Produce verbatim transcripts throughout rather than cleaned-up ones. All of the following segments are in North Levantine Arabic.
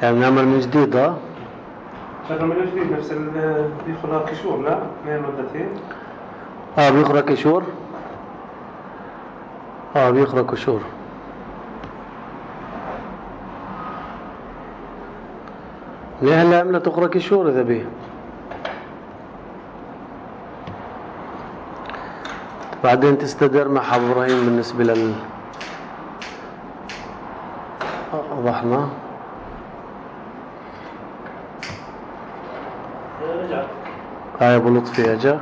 يعني نعمل من جديد. ها شغل من جديد نفس ال بيخرج كشور. لا اثنين مدتين. اه بيخرج كشور. اه بيخرج كشور. ليه هلا عملت تخرج كشور اذا بيه. بعدين تستدر مع أبو إبراهيم بالنسبة لل رحمة. هاي أبو لطفي أجا.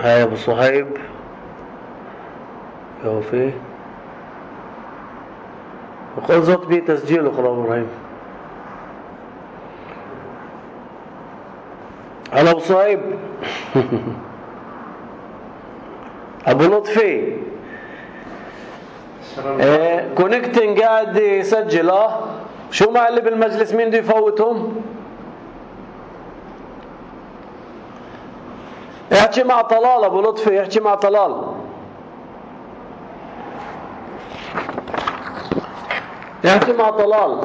هاي أبو صهيب يوفي وقل زط بيه تسجيله خلاص أبو إبراهيم. هلا أبو صهيب. أبو لطفي ايه كونكتنج قاعد يسجل. اه شو مع اللي بالمجلس مين بده يفوتهم؟ احكي مع طلال ابو لطفي. احكي مع طلال. احكي مع طلال.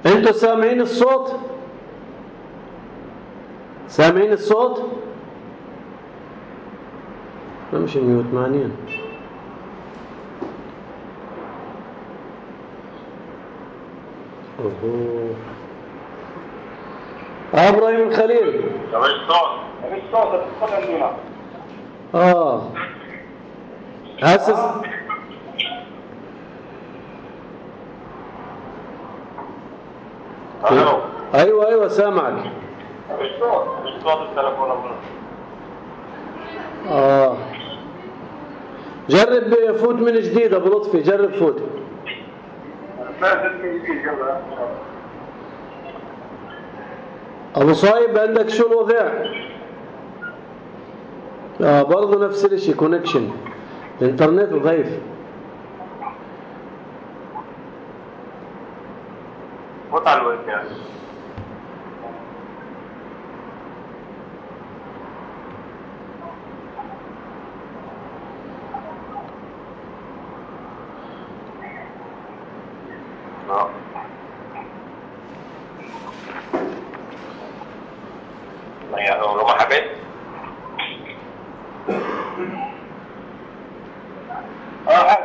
انتوا سامعين الصوت؟ سامعين الصوت؟ مش ميوت معنين. اوه اه ابراهيم الخليل. مفيش صوت. مفيش صوت. الصوت عندنا. اه حاسس. الو. ايوه ايوه سامعك. مفيش صوت. مفيش صوت التليفون ابونا. اه جرب فوت من جديد ابو لطفي. جرب فوت. ابو صايب عندك شو الوضع؟ اه برضه نفس الشيء كونكشن الانترنت ضعيف. فوت على الويب يعني. يعني لو ما حبيت اه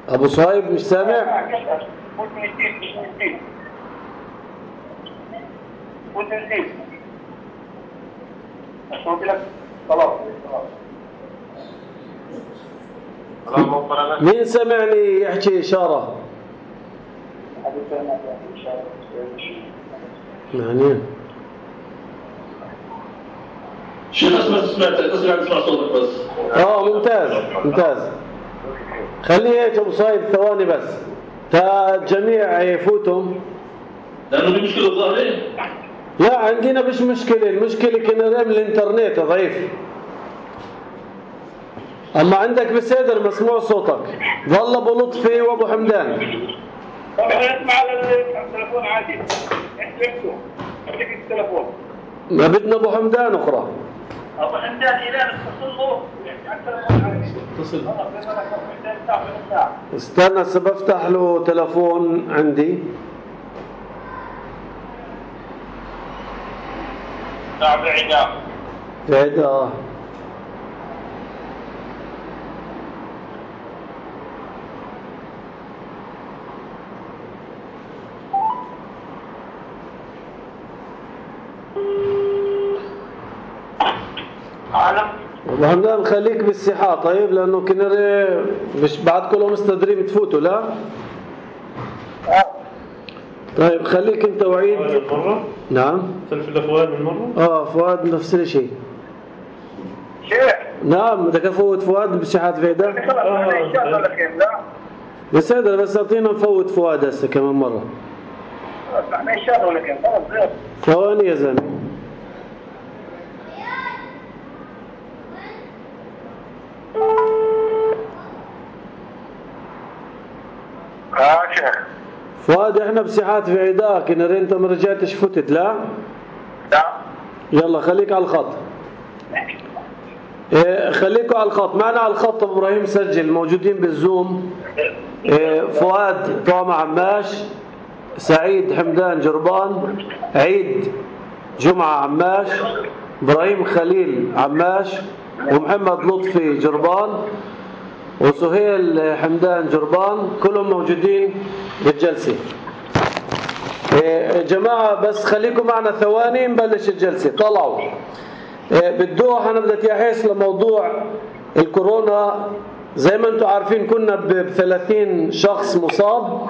ابو صايب مش سامع. فوت من جديد. فوت من جديد. فوت من جديد. قلت لك خلاص خلاص. مين سمعني يحكي اشاره؟ معنين شيخ بس سمعت اسمع اسمع صوتك بس. اه ممتاز ممتاز. خليه هيك ابو صايب ثواني بس تا الجميع يفوتهم لانه في مشكله ظاهره. لا عندنا مش مشكله. المشكله كنا نعمل الانترنت ضعيف. اما عندك بسيدر مسموع صوتك. ظل ابو لطفي وابو حمدان. طب احنا نسمع على التليفون عادي. احلفته خليك التليفون. ما بدنا ابو حمدان اخرى. ابو حمدان الى اتصل له على التليفون عادي. اتصل. استنى هسه بفتح له تليفون عندي. نعم بعيدة. بعيدة. وهمدان خليك بالسحاة طيب لأنه كنري مش بعد كلهم مستدرين تفوتوا. لا طيب خليك انت وعيد من مرة. نعم تلفل فؤاد من مرة. اه فؤاد نفس الشيء. شيخ نعم بدك افوت فؤاد بسحات بعيدة. اه لا بس هذا بس اعطينا نفوت فؤاد هسه كمان مرة. احنا ان شاء الله لكن خلص ثواني يا زلمة. اه شيخ. فؤاد احنا بساحات في عداك، ان انت ما رجعتش فتت لا؟ لا. يلا خليك على الخط. إيه خليكوا على الخط، معنا على الخط ابو ابراهيم سجل، موجودين بالزوم. إيه فؤاد طعمة عماش، سعيد حمدان جربان، عيد جمعة عماش، ابراهيم خليل عماش، ومحمد لطفي جربان، وسهيل حمدان جربان، كلهم موجودين بالجلسة. إيه جماعة بس خليكم معنا ثواني نبلش الجلسة. طلعوا. إيه بدوح أنا بدي أحس لموضوع الكورونا. زي ما انتم عارفين كنا بثلاثين شخص مصاب.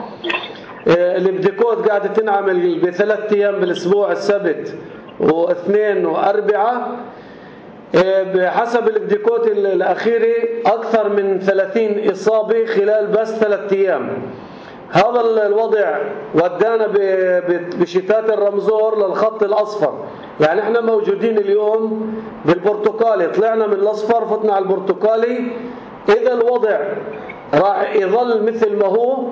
إيه الابديكوت قاعدة تنعمل بثلاث أيام بالأسبوع، السبت واثنين وأربعة. بحسب الابديكوت الأخيري أكثر من ثلاثين إصابة خلال بس ثلاثة أيام. هذا الوضع ودانا بشتات الرمزور للخط الأصفر. يعني احنا موجودين اليوم بالبرتقالي، طلعنا من الأصفر فتنا على البرتقالي. إذا الوضع راح يظل مثل ما هو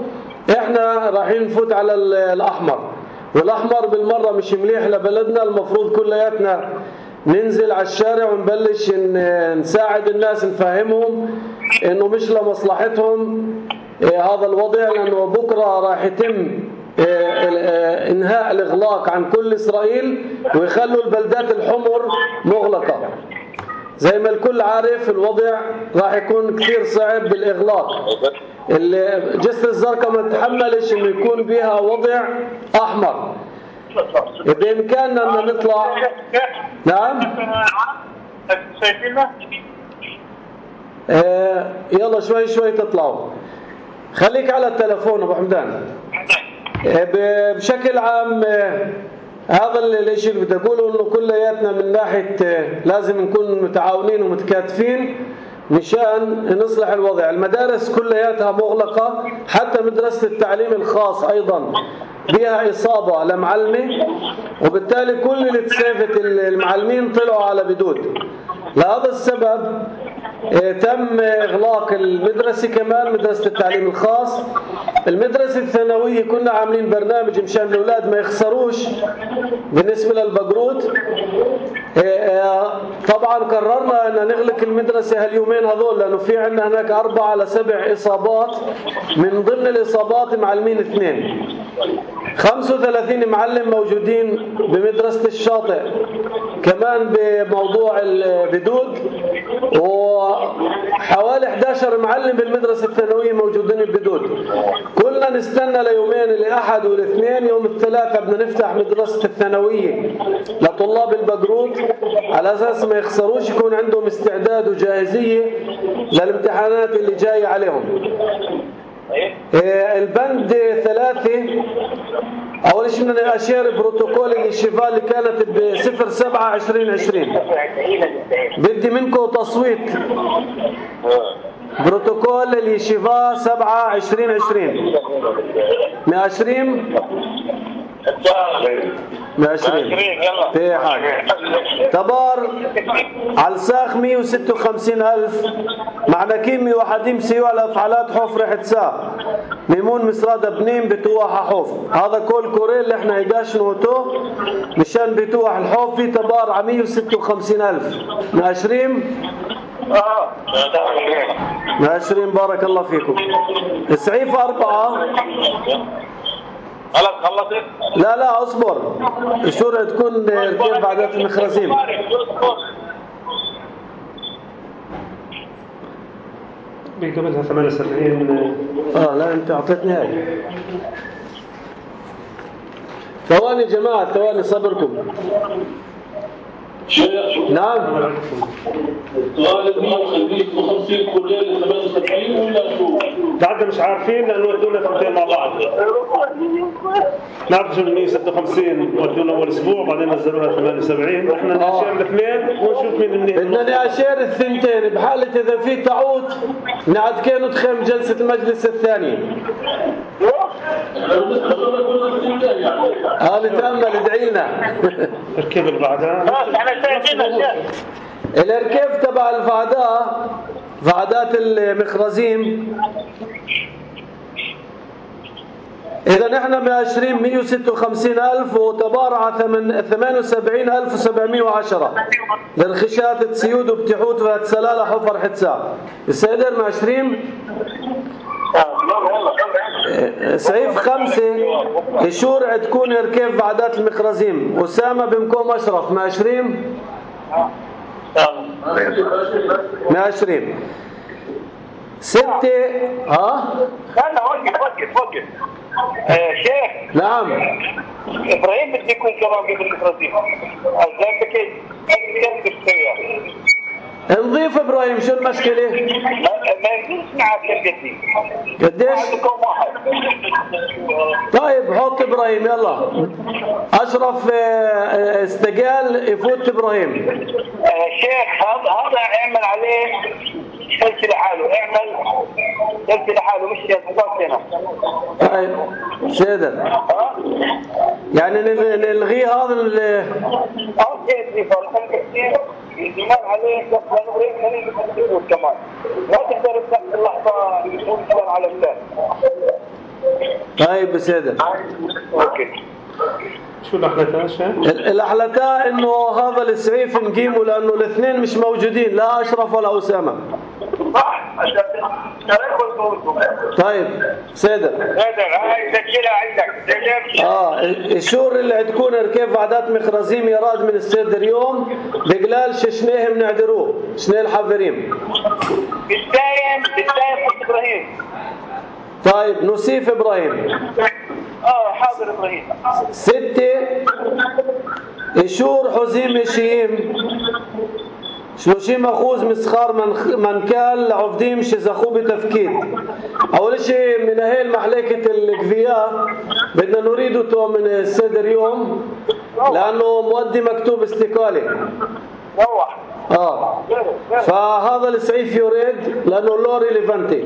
احنا راح نفوت على الأحمر، والأحمر بالمرة مش مليح لبلدنا. المفروض كلياتنا ننزل على الشارع ونبلش نساعد الناس، نفهمهم انه مش لمصلحتهم هذا الوضع، لانه بكره راح يتم انهاء الاغلاق عن كل اسرائيل ويخلوا البلدات الحمر مغلقه. زي ما الكل عارف الوضع راح يكون كثير صعب بالاغلاق. الجسر الزرقاء ما تحملش انه يكون بها وضع احمر. بإمكاننا أن نطلع. نعم. شايفيننا؟ آه يلا شوي شوي تطلعوا. خليك على التلفون أبو حمدان. آه بشكل عام آه هذا الشيء اللي بدي أقوله، إنه كلياتنا من ناحية آه لازم نكون متعاونين ومتكاتفين مشان نصلح الوضع. المدارس كلياتها مغلقة، حتى مدرسة التعليم الخاص أيضا بها إصابة لمعلمة، وبالتالي كل اللي تسافت المعلمين طلعوا على بدود. لهذا السبب تم إغلاق المدرسة، كمان مدرسة التعليم الخاص. المدرسة الثانوية كنا عاملين برنامج مشان الأولاد ما يخسروش بالنسبة للبقروت. طبعا قررنا أن نغلق المدرسة هاليومين هذول، لأنه في عندنا هناك أربعة لسبع إصابات، من ضمن الإصابات معلمين اثنين. خمسة وثلاثين معلم موجودين بمدرسة الشاطئ كمان بموضوع البدود، وحوالي إحدى عشر معلم بالمدرسة الثانوية موجودين البدود. كلنا نستنى ليومين، الأحد والاثنين. يوم الثلاثاء بدنا نفتح مدرسة الثانوية لطلاب البقروت على أساس ما يخسروش، يكون عندهم استعداد وجاهزية للامتحانات اللي جاية عليهم. البند ثلاثة، أول شيء بدنا نأشير بروتوكول اليشيفا اللي كانت بصفر سبعة عشرين عشرين. بدي منكم تصويت. بروتوكول اليشيفا سبعة عشرين عشرين. مأشرين؟ مأشرين. في حاجة. تبار على الساخ مية وستة وخمسين ألف. معناكين مية وحديم سيوع الأفعالات حوف ريحة ساق. ميمون مسرادة بنين بتوح حوف. هذا كل كوريل اللي احنا يقاش نوتو مشان بتوح الحوف. في تبار على مية وستة وخمسين ألف. مأشرين؟ مأشرين. بارك الله فيكم. السعيف أربعة. خلاص خلصت؟ لا لا اصبر، الشورى تكون كيف بعدات المخرزين. بقبلها ثمانية وسبعين. اه لا انت اعطيتني هاي. ثواني جماعة، ثواني صبركم. نعم. السؤال مية وخمسين كلية ثمانية وسبعين ولا شو؟ بعد مش عارفين لأنه ودونا ثنتين مع بعض. نعرف شو مية وستة وخمسين ودونا أول أسبوع، بعدين نزلوها ثمانية وسبعين. إحنا نأشير الاثنين ونشوف مين منيح. بدنا نأشير الثنتين بحالة إذا في تعود نعد كانوا تخيم جلسة المجلس الثاني. اه نتأمل ادعي لنا. الركب اللي بعدها. الاركيف تبع الفعداء، فعدات المخرزين إذا نحن بعشرين مية وستة وخمسين ألف وتبارع ثمانية وسبعين ألف وسبعمية وعشرة لرخشات تسيود وبتحوت وهتسلالة حفر حتسا السيدر مع عشرين. سعيف خمسة يشور عدكون يركب بعدات المخرزيم أسامة بمكوم أشرف مع عشرين مع عشرين ستة. ها لا وقف وقف وقف شيخ. نعم ابراهيم بده يكون كمان قبل الفرزين ازاي كيف كيف تسويها نضيف ابراهيم شو المشكله؟ ما يجوز معك كلمتي قديش؟ واحد. طيب حط ابراهيم يلا. اشرف استقال يفوت ابراهيم. شيخ هذا هذا اعمل عليه سلسله لحاله اعمل سلسله لحاله مش يضبط هنا. طيب سيدر يعني نلغي هذا ال اه كيف فرق كثير الزمان عليه كمان ما تقدر تاخذ اللحظه يكون على اللسان. طيب سيدر اوكي. شو الأحلتان شيخ؟ الأحلتان إنه هذا السعيف نقيمه لأنه الاثنين مش موجودين لا أشرف ولا أسامة. صح عشان طيب سيدر سيدر هاي سجلها عندك. اه الشور اللي عندكم ركيب بعدات مخرزيم يراد من السيدر يوم بقلال ششنيهم نعدروه شنيه الحافرين بالدايم بالدايم قلت إبراهيم. طيب نصيف إبراهيم. اه حاضر إبراهيم. ستة إشور حزيم شيم شلوشيم أخوز مسخار من منكال عفديم شزخو بتفكيد. أول شيء من هاي المحلكة الكفية بدنا نريده من السيدر يوم لأنه مودي مكتوب استقالة. روح. آه فهذا السعيف يريد لأنه لو ريليفانتي.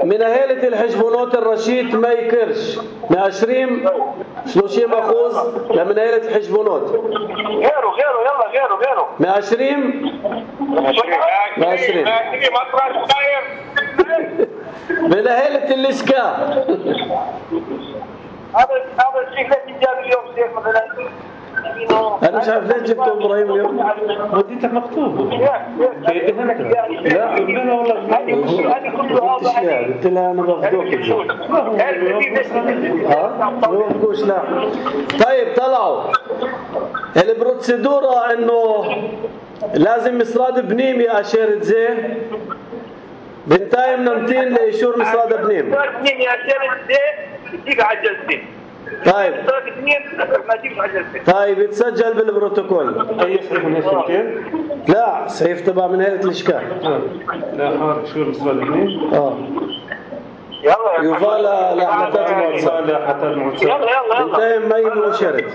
من أهالة الحجبونات الرشيد ما يكرش من عشرين شلوشيم أخوز لمن أهالة الحجبونات غيره غيره يلا غيره غيره من عشرين من عشرين من أهالة الإشكا. هذا هذا الشيء ليش جاب اليوم شيخ مثلا أنا مش عارف ليش جبته إبراهيم اليوم. وديتك مكتوب في هنا لا لا والله قلت لها أنا بفضوك ها ما بفضوش لا. طيب طلعوا البروتسيدورة إنه لازم مصراد بنيمي أشير زين بنتايم نمتين لإشور مصراد بنيم بنيمي أشير زين تجيك على الجلسة. طيب طيب يتسجل بالبروتوكول. أي صحيح من هالشركين؟ لا صحيح تبع من هيئة الإشكال. لا حار شو المصدر الاثنين؟ اه يلا يفعل لحلتات الموصل لحلتات الموصل يلا يلا بنتايم مين وشرد.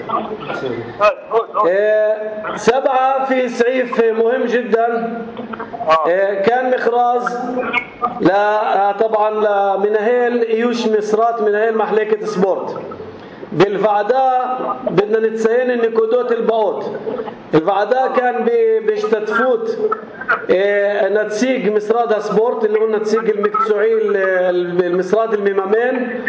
إيه سبعة في سعيف مهم جدا. إيه كان مخراز لا طبعا لمنهيل ايوش مصرات منهيل محلكة سبورت. بالفعداء بدنا نتسين النكودات الباوت. الفعداء كان بيشتتفوت إيه نتسيق مصراد سبورت اللي هو نتسيق المكتسوعي المصراد الميمامين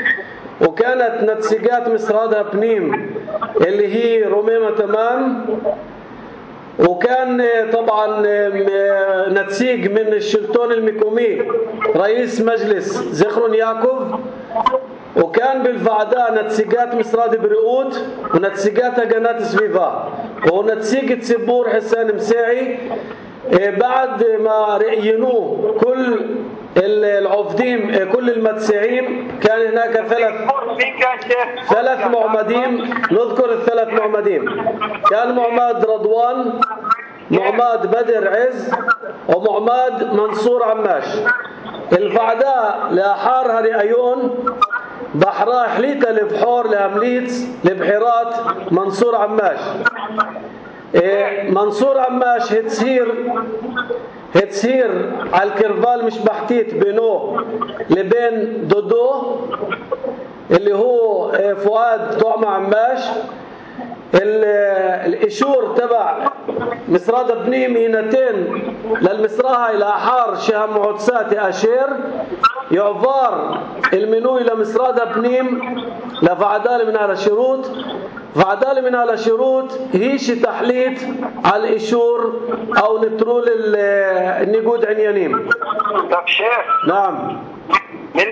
وكانت نتسيقات مصرادها بنيم اللي هي روميمة تمام وكان طبعا نتسيق من الشلتون الميكومي رئيس مجلس زخرون ياكوف وكان بالفعداء نتسيقات مصراد برؤوت ونتسيقات قناة سفيفا ونتسيق تسبور حسان مساعي. بعد ما رأينوه كل العفدين كل المتسعين كان هناك ثلاث ثلاث معمدين. نذكر الثلاث معمدين كان معمد رضوان معمد بدر عز ومعمد منصور عماش. الفعداء لأحارها رأيون بحراء حليتا لبحور لأمليتس لبحيرات منصور عماش. إيه منصور عماش هتسير هتسير على الكرفال مش بحتيت بينه لبين دودو اللي هو فؤاد طعم عماش. الإشور تبع مصرادة بنيم هينتين للمصراها إلى أحار شهم عدسات أشير يعفار المنوي لمصرادة بنيم لفعدال من على شروط فعدال من على شروط هيش تحليت على الإشور أو نترول النقود عنيانيم. طب شيخ نعم. من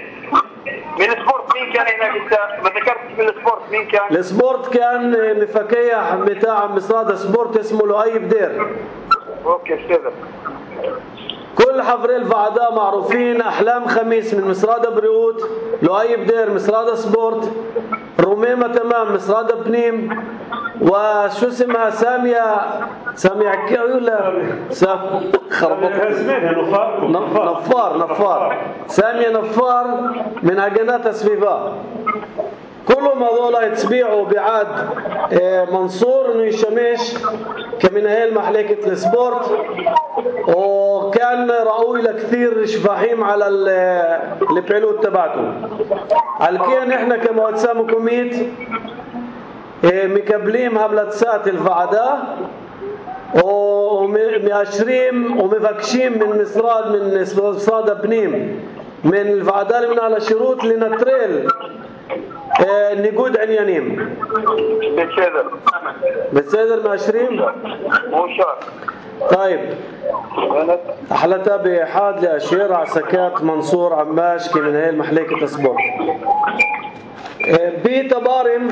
من السبورت مين كان هناك؟ انت ما ذكرتش من السبورت مين كان؟ السبورت كان مفكيح بتاع مصرادة سبورت اسمه لؤي بدير. اوكي استاذ. كل حفري الفعداء معروفين. أحلام خميس من مصرادة بريوت، لؤي بدير مصرادة سبورت، رميمة تمام مصرادة بنيم، وشو اسمها سامية سامية عكي ولا سام خربطت نفار نفار سامية نفار من هجنات سفيفا. كلهم هذول يتبيعوا بعاد منصور انه يشمش كمنهل محلكة السبورت، وكان رأوي لكثير شفاحيم على البيلوت تبعته. على كين احنا كمؤسسة مكوميت مكبلين هبلتسات الفعداء ومأشرين ومفكشين من مصراد من مصراد بنيم من الفعداء من على شروط لنتريل نقود عنيانيم. بالسيدر بالسيدر مأشرين مو شرط. طيب أحلتها بإحاد لأشير عسكات منصور عماش كي من هاي المحليكة سبورت. بتبارم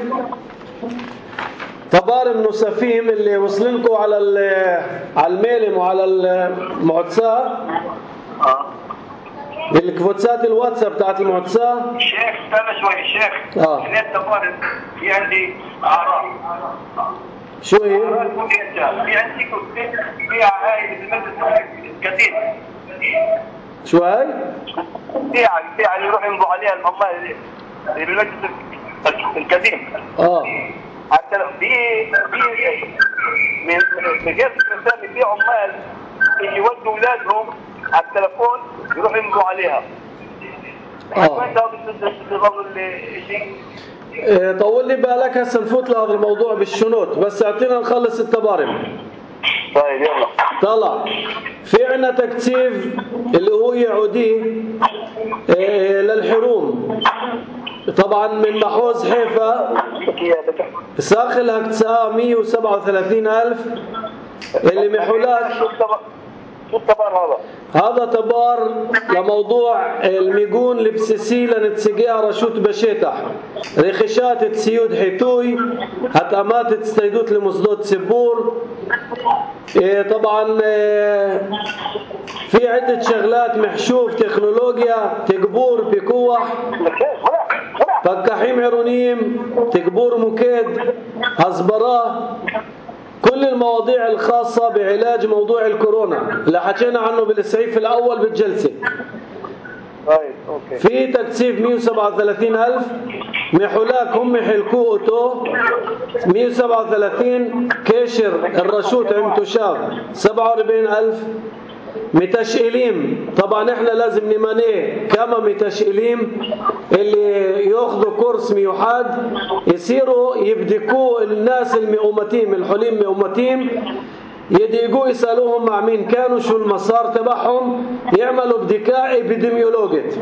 تبارم نسفيم اللي وصلنكم على على الميلم وعلى المعتسة بالكفوتسات الواتساب بتاعت المعتسة. شيخ استنى شوي شيخ. اه هناك تبارم في عندي أعراض. شو هي؟ في عندي في هاي المجلس القديم. شو هاي؟ في في اللي يروح يمضوا عليها العمال اللي بالمجلس القديم. اه حتى في في من من جهه الرسامي في عمال اللي يودوا اولادهم على التليفون يروحوا يمضوا عليها. اه شيء طول لي بالك هسه نفوت لهذا الموضوع بالشنوط، بس اعطينا نخلص التبارم. طيب يلا طلع في عنا تكثيف اللي هو يعودي إيه للحروم طبعا من محوز حيفا ساخل هكتساء مية وسبعة وثلاثين ألف اللي محولات. شو التبار هذا؟ هذا تبار لموضوع الميقون البسيسي لنتسقيها رشوت بشيتح ريخشات تسيود حيتوي هتأمات تستيدوت لمصدوت سبور. إيه طبعا إيه في عدة شغلات محشوف تكنولوجيا تقبور بكوح فكحيم عرونيم تقبور مكيد هزبراه. كل المواضيع الخاصة بعلاج موضوع الكورونا اللي حكينا عنه بالسعيف الأول بالجلسة. طيب اوكي. في تكثيف مية وسبعة وثلاثين ألف محولاك هم حلكوه أوتو مية وسبعة وثلاثين كيشر الرشوت عمتو شاف سبعة وأربعين ألف. متشئليم طبعا احنا لازم نمانيه كما متشئليم اللي ياخذوا كورس ميوحاد يصيروا يبدكوا الناس المئومتين الحليم مئومتين يديقوا يسألوهم مع مين كانوا شو المسار تبعهم يعملوا بدكاء ابيديميولوجيت.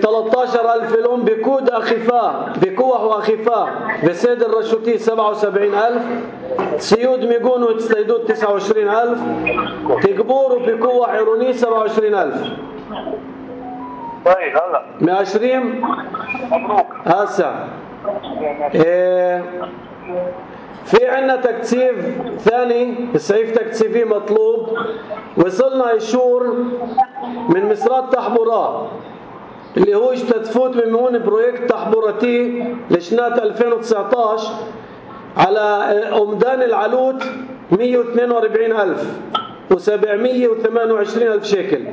ثلاثة عشر ألف لهم بكود أخفاء بكوح وأخفاء بسيد الرشوتي سبعة وسبعين ألف سيود ميقون وتستيدود تسعة وعشرين ألف تقبور بكوح عروني سبعة وعشرين ألف. طيب هلا مئة وعشرين مبروك هسه. إيه في عنا تكثيف ثاني السعيف تكثيفي مطلوب. وصلنا يشور من مصرات تحبورات اللي هو تفوت من هون بروجكت تحبورتي لسنة ألفين وتسعة عشر على أمدان العلوت مية واثنين وأربعين ألف وسبعمية وثمانية وعشرين ألف شيكل.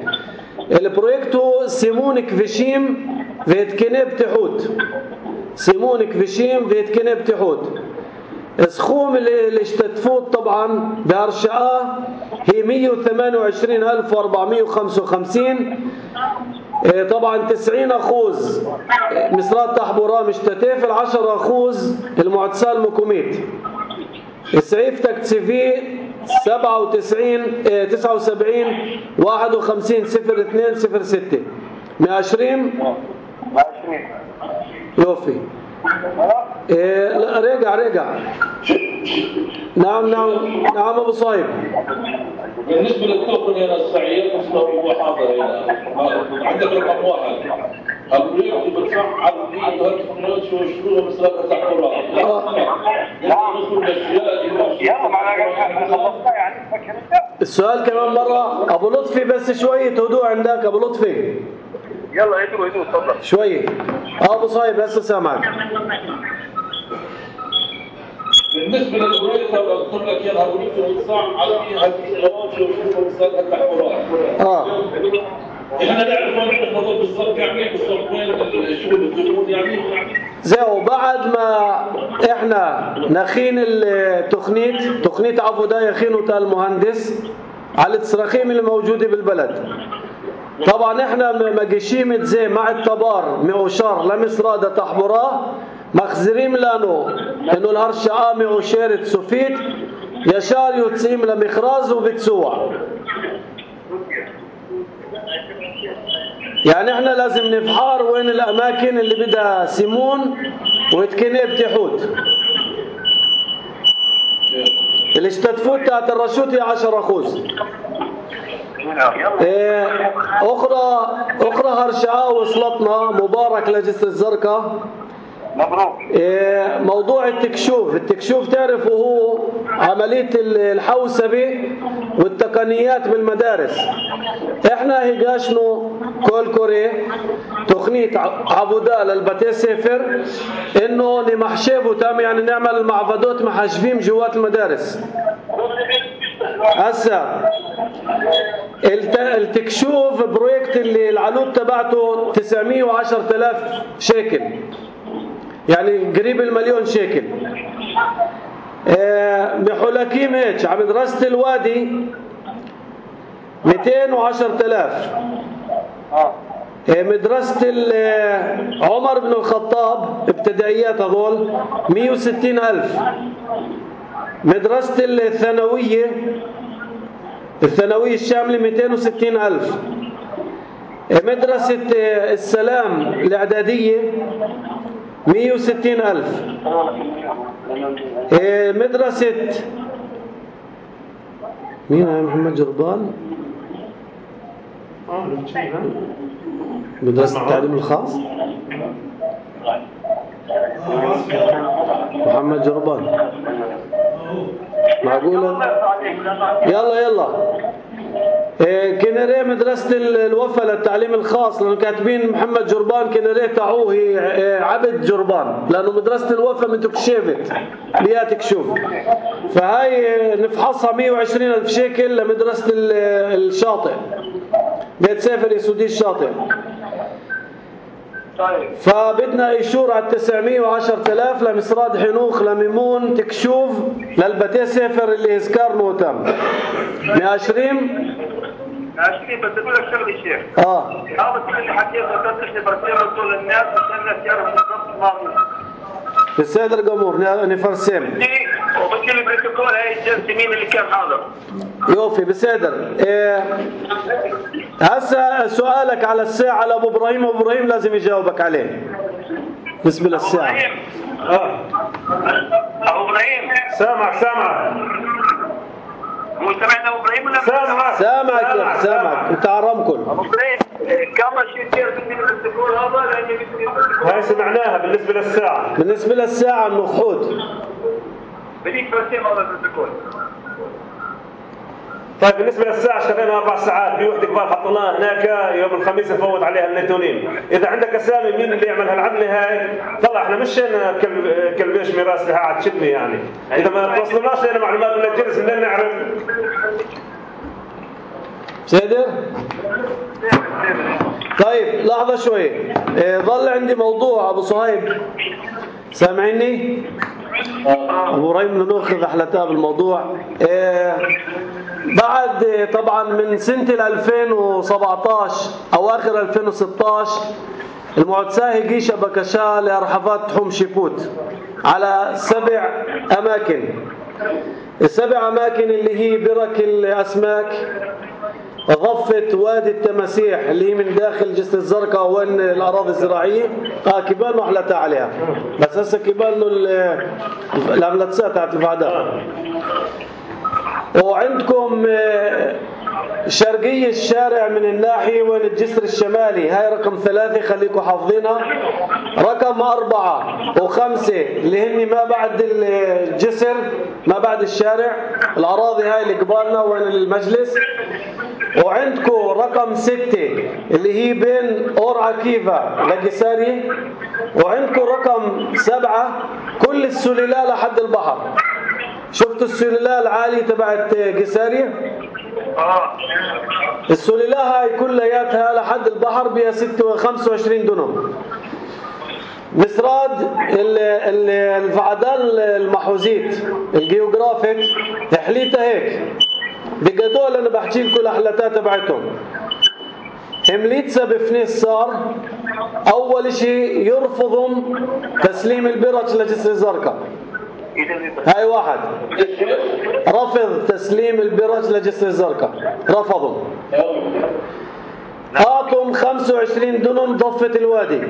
البروجكتو سيمونك فيشيم فيتكنب تحوت سيمونك فيشيم فيتكنب تحوت. السخوم اللي اشتتفوت طبعا بهرشقة هي مية وثمانية وعشرين ألف وأربعمية وخمسة وخمسين إيه طبعا تسعين أخوذ مصرات تحبورا مشتتافل، عشرة أخوذ المعتسال مكوميت. السعيف تكتسفي سبعة وتسعين إيه تسعة وسبعين واحد وخمسين صفر اثنين صفر ستة مئة وعشرين يوفي. إيه لا رجع رجع نعم نعم نعم ابو صايب. بالنسبه للتوكن يا السعيد هو حاضر هنا عندك رقم واحد البريد بتفعل دي هالتقنيات شو شو مسألة تحضرها السؤال كمان مرة أبو لطفي بس شوية هدوء عندك أبو لطفي. يلا هدوء هدوء تفضل شوية. أبو صايب هسه سامعك. بالنسبة للبريد قلت لك يا البريد بتفعل على هالتقنيات شو شو مسألة تحضرها. آه. احنا نعرف وين النظر بالضبط يعني بالضبط وين الشغل الدخول يعني زيو بعد ما احنا نخين التقنيت تقنيت عفودا يخينو تاع المهندس على التصراخيم اللي موجوده بالبلد. طبعا احنا مجيشيمت زي مع التبار معوشار لمصرادة تحبورا مخزريم لانو انه الهرشعة معوشارة سوفيت يشار يتسيم لمخراز وبتسوع. يعني احنا لازم نفحار وين الاماكن اللي بدها سيمون ويتكنيه بتحوت. الاشتتفوت تاعت الرشوت هي عشرة خوز. ايه اخرى اخرى هرشعة وصلتنا مبارك لجسر الزرقاء. مبروك. إيه موضوع التكشوف، التكشوف تعرفوا هو عملية الحوسبة والتقنيات بالمدارس. احنا هيجاشنو كل كوري تقنية عبودة للبتي سفر انه نمحشبه تام يعني نعمل المعبدات محشبين جوات المدارس. هسا التكشوف بروجكت اللي العلوب تبعته تسعمية وعشرة آلاف شيكل يعني قريب المليون شيكل. اه بحلكيم هيك على مدرسة الوادي مئتين وعشرة آلاف. اه مدرسة عمر بن الخطاب ابتدائيات هذول مئة وستين ألف. مدرسة الثانوية الثانوية الشاملة مئتين وستين ألف. مدرسة السلام الإعدادية مئة وستين ألف. مدرسة مين يا محمد جربان؟ مدرسة التعليم الخاص محمد جربان معقولة؟ يلا يلا إيه كنري مدرسة الوفا للتعليم الخاص لأنه كاتبين محمد جربان كنري تعوه إيه عبد جربان لأنه مدرسة الوفا من تكشيفت لياتك شوف. فهاي نفحصها مئة وعشرين ألف شيكل لمدرسة الشاطئ بيت سافر يسودي الشاطئ. فبدنا إيشور على تسعمية وعشرة آلاف لمصراد حنوخ لميمون تكشوف للبتي سافر اللي يذكر نوتم مئة وعشرين عشرين. بس اقول لك شغله شيخ. اه هذا كل اللي حكيته تفتح برسيم طول الناس عشان الناس يعرفوا بالضبط ما هو بالسيد القمور نفرسم وبكل البروتوكول هاي الجلسه مين اللي كان حاضر يوفي بسيدر. إيه هسه سؤالك على الساعة لأبو إبراهيم أبو إبراهيم لازم يجاوبك عليه بالنسبة للساعة. اه أبو إبراهيم سامع سامع مو سمعنا أبو إبراهيم ولا سامع سامعك سامعك أنت عرمكل. أبو إبراهيم كم شيء كثير من البروتوكول هذا لأنه هاي سمعناها بالنسبة للساعة. بالنسبة للساعة النخود بديك فرسيم هذا البروتوكول. طيب بالنسبة للساعة اشتغلنا أربع ساعات في وحدة كبار حطيناها هناك يوم الخميس نفوت عليها النيتونين. إذا عندك أسامي مين اللي يعمل هالعملة هاي طلع إحنا مشينا كلبيش ميراث لها عاد شدني يعني. إذا ما توصلناش لنا معلومات من الجلس بدنا نعرف. سيدر طيب لحظة شوي إيه ظل عندي موضوع أبو صهيب سامعني؟ أبو إبراهيم بدنا ناخذ حلتها بالموضوع. إيه بعد طبعا من سنة ألفين وسبعطعش أواخر ألفين وستطعش المعتساه هيجيشا بكشا لأرحفات حوم شيبوت على سبع أماكن. السبع أماكن اللي هي برك الأسماك، ضفة وادي التماسيح اللي هي من داخل جسر الزرقاء وين الأراضي الزراعية. آه كبال محلتا عليها، بس هسه كبال العملتسات تاعت الفعداء. وعندكم شرقية الشارع من الناحية وين الجسر الشمالي، هاي رقم ثلاثة خليكم حافظينها. رقم أربعة وخمسة اللي هن ما بعد الجسر ما بعد الشارع، الأراضي هاي اللي قبالنا وين المجلس. وعندكم رقم ستة اللي هي بين أور عكيفة لقساري. وعندكم رقم سبعة كل السلالة لحد البحر. شفتوا السلالة العالية تبعت قساري؟ السلالة هاي كلياتها لحد البحر بها خمسة وعشرين دنم. مسراد الفعدان المحوزيت الجيوغرافيك تحليتها هيك بقدول. انا بحكي لكم الاحلاتات تبعتهم. همليتسا بفنيس صار اول شيء يرفضهم تسليم البرج لجسر الزرقاء. هاي واحد رفض تسليم البرج لجسر الزرقاء، رفضوا. اعطهم خمسة وعشرين دنم ضفة الوادي.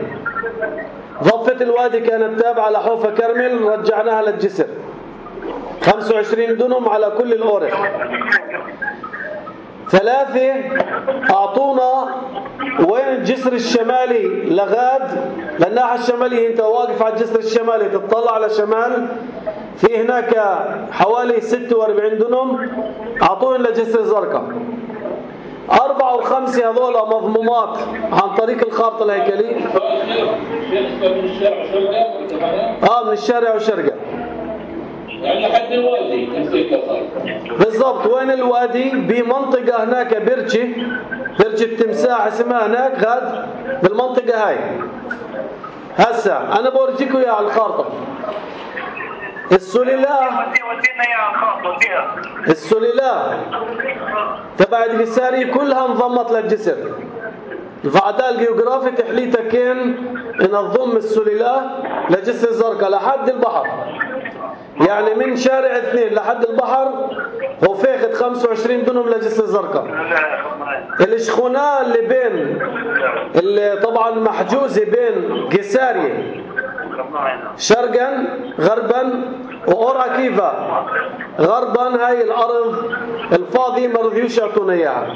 ضفة الوادي كانت تابعة لحوفة كرمل، رجعناها للجسر. خمسة وعشرين دنم على كل الأورخ. ثلاثة أعطونا وين الجسر الشمالي لغاد، للناحية الشمالية أنت واقف على الجسر الشمالي تطلع على شمال، في هناك حوالي ستة وأربعين دنم أعطوهم لجسر الزرقاء. أربعة وخمسة هذول مضمومات عن طريق الخارطة الهيكلية. آه من الشارع وشرقة. يعني لحد الوادي بالضبط. وين الوادي؟ بمنطقة هناك برجة برجة تمساح اسمها هناك غاد بالمنطقة هاي. هسا أنا بورجيكم إياها على الخارطة. السلالة السلالة تبعت قساري كلها انضمت للجسر. الفعداء الجيوغرافي تحليتها كان ننظم السلالة لجسر الزرقاء لحد البحر، يعني من شارع اثنين لحد البحر هو فاخد خمسة وعشرين دنم لجسر الزرقاء. الشخونة اللي بين اللي طبعا محجوزة بين قساري شرقا غربا وأور عكيفة غربا، هاي الأرض الفاضية ما رضيوش يعطونا إياها.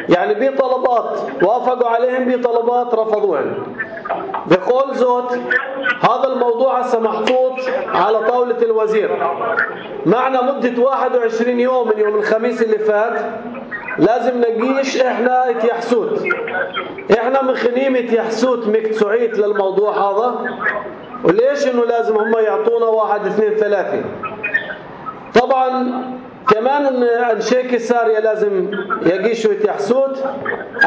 يعني بطلبات وافقوا عليهم، بطلبات رفضوهم. بقول زوت هذا الموضوع هسه محطوط على طاولة الوزير معنا مدة واحد وعشرين يوم من يوم الخميس اللي فات. لازم نقيش احنا اتيحسوت، احنا من خنيمة يحسوت مكتسوعيت للموضوع هذا. وليش انه لازم هم يعطونا واحد اثنين ثلاثة. طبعا كمان انشي كساريا لازم يقيشوا يتيحسوت،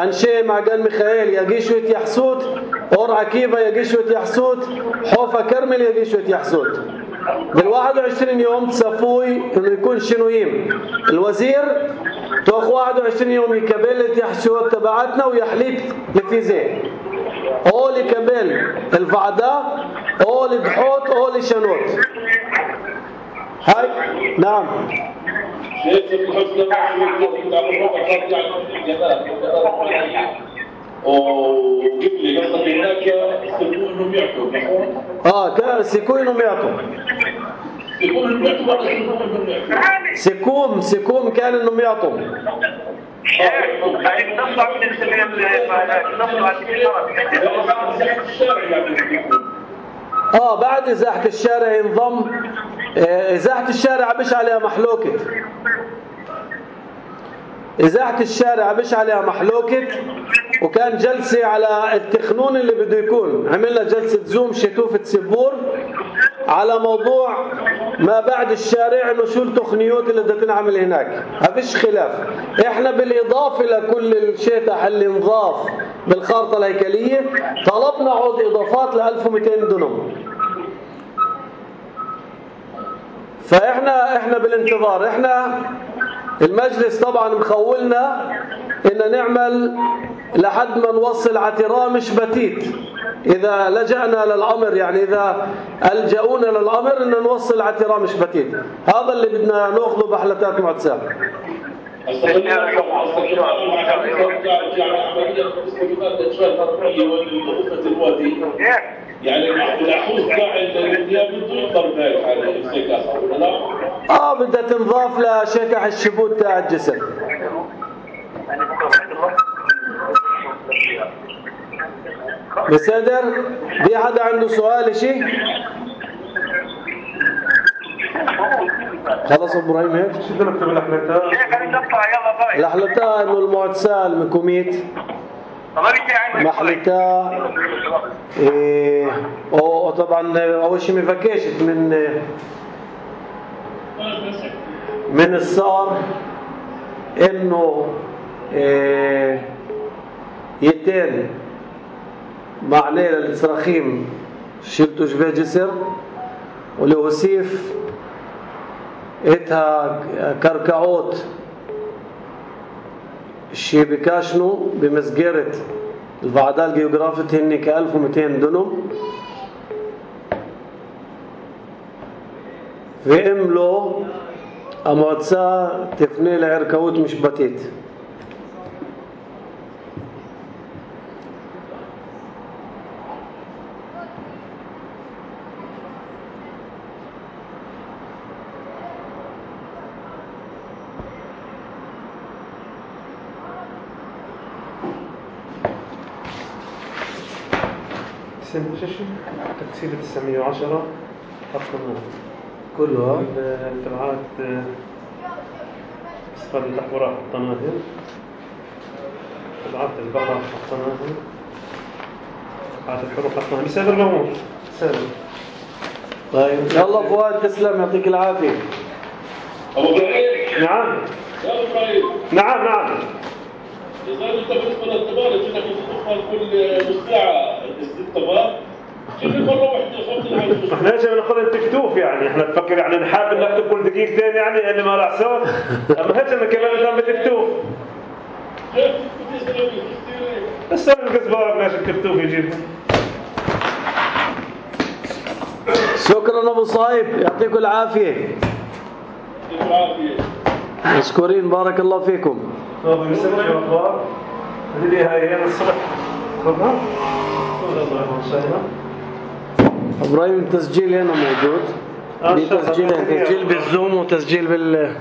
انشي معقل ميخائيل يقيشوا يتيحسوت، اور عكيفة يقيشوا يتيحسوت، حوفة كرمل يقيشوا يتيحسوت. بالواحد وعشرين يوم تسافوي انه يكون شنويم الوزير توخ واحد وعشرين يوم يكبل التيحسوت تبعتنا ويحليت لفيزيه او لكبل الفعداء او لدحوت او لشنوت. هاي نعم شيخ الحسنى وقبلي قصدك هناك سيكون انهم يعطوا نحن اه كان سيكون انهم يعطوا سيكون انهم يعطوا ولا سيكون انهم يعطوا سيكون سيكون كان انهم يعطوا اه بعد ازاحة الشارع ينضم. ازاحة الشارع مش عليها محلوكة، ازاحة الشارع مش عليها محلوكة. وكان جلسة على التخنون اللي بده يكون، عملنا جلسة زوم شتوفة سبور على موضوع ما بعد الشارع انه شو التخنيات اللي بدها تنعمل هناك. ما فيش خلاف. احنا بالاضافة لكل الشيطح اللي انضاف بالخارطة الهيكلية طلبنا عود اضافات ل ألف ومئتين دنم. فاحنا احنا بالانتظار. احنا المجلس طبعا مخولنا إن نعمل لحد ما نوصل عتراه مش بتيت. إذا لجأنا للأمر يعني إذا ألجأونا للأمر إن نوصل عتراه مش بتيت. هذا اللي بدنا نأخذه بحلقات معتساب. يعني العحوز تاع الدنيا بده يضرب هيك على السكاسة ولا لا؟ اه بدها تنضاف لشكح الشبوت تاع الجسم. بصدر في حدا عنده سؤال شيء؟ خلص ابراهيم هيك؟ شو بدنا نكتب الاحلتاء؟ الاحلتاء انه المعتسال من كوميت محلتا إيه وطبعا اول شيء مفكشت من من الصار انه إيه يتين معناه للصراخيم شلتو شبه جسر ولوسيف اتها كركعوت الشيء بكاشنو بمسجرة الفعداء الجيوغرافية هني كألف ومئتين دنم في املو اموتسا تفني لعركوت مش بتيت. تكسير تسعمية وعشرة حطنا كلها التبعات أسفل الأحوراء حطناها تبعات البقرة حطناها تبعات الحروف حطناها بسبب الأمور سهل. طيب يلا فؤاد تسلم يعطيك العافية. أبو إبراهيم نعم يا إبراهيم نعم نعم إذا أنت بالنسبة للتبارك إنك تدخل كل نص ساعة ست تبارك كل مرة واحدة خمسة عشر. احنا ايش بناخذ التكتوف يعني احنا نفكر يعني نحاول نكتب كل دقيقتين يعني اللي ما راح صار اما هيك انا كمان بدنا بالتكتوف بس انا القزبار بلاش التكتوف يجيبها. شكرا ابو صايب يعطيكم العافية. العافية. مشكورين بارك الله فيكم. طب بيسمع الاخبار اللي هي هي الصبح خذها ان شاء الله. ابراهيم التسجيل هنا موجود. في تسجيلين تسجيل بالزوم وتسجيل بال